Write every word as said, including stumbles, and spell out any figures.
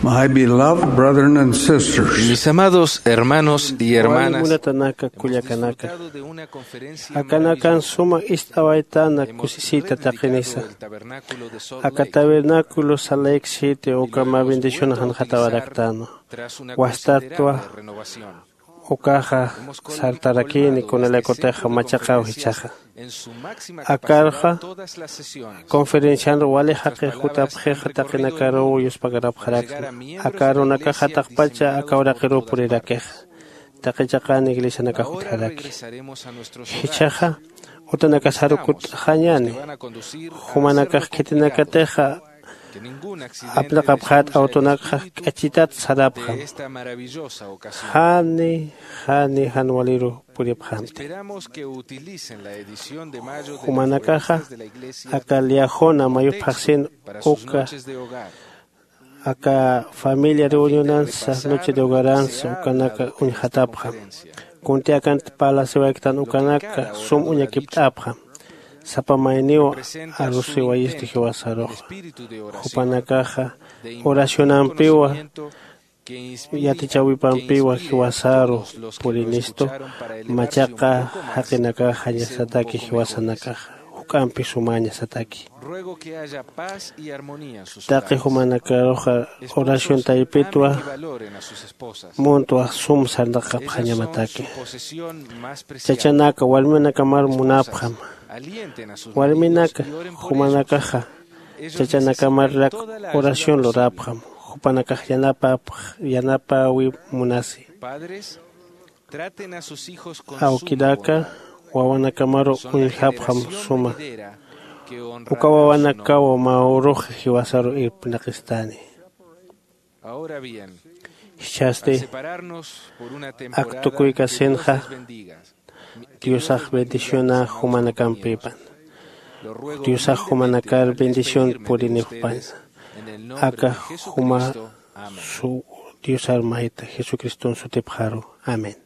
My beloved brethren and sisters, mis amados hermanos y hermanas, munatanaka kullakanaka, akanakan suma ist'awaytana kusisita taqinisa. Aka tabernáculo salayksiti ukama bendición janjatawaraktana. Wastatwa ukaxa sartarakini kunalaykutixa machaqaw jichhaxa. Akarxa conferencianru wali jaqix jutapxixa taqinakaruw yuspagarapxarakna. Aka arunakaxa taqpacha aka uraqiruw purirakixa. Taqi chaqan iglesianakax utjaraki. Jichhaxa utanakasaru kut'xañäni. Jumanakax khitinakatixa apnaqapxät awtonakxa k'achitat sarapxam. Jani jani jan waliru puripxamti. Jumanakaxa aka liajuna mayu phaxsin uka aka familia reunionansa noche de hogaransa ukanaka uñjatapxam. Kunti akanti palaciwayktan ukanaka sum uñakipt'apxam. Sapa mayniw arusiwayisti jiwasaruxa. Jupanakaxa oracionampiwa yatichäwipampiwa jiwasaru purinistu. Machaqa jaqinakax jañasataki jiwasanakaxa juk'ampi sumäñasataki. Taqi jumanakaruxa oración taypitwa muntwa sum sarnaqapxañamataki. Chachanaka warminakamar munapxam. Warminaka jumanakaxa chachanakamarrak oración lurapxam. Jupanakax yanapapx yanapäwi munasi. Awkinaka wawanakamaru uñjapxam suma. Uka wawanakaw mä uruxa jiwasaru irpnaqistani. Jichhasti ak tukuykasinxa diosax bendicionä jumanakampïpan. Diosax jumanakar bendición purinipxpaña. Aka juma diosar mayta jesucriston sutipxaru. Amén.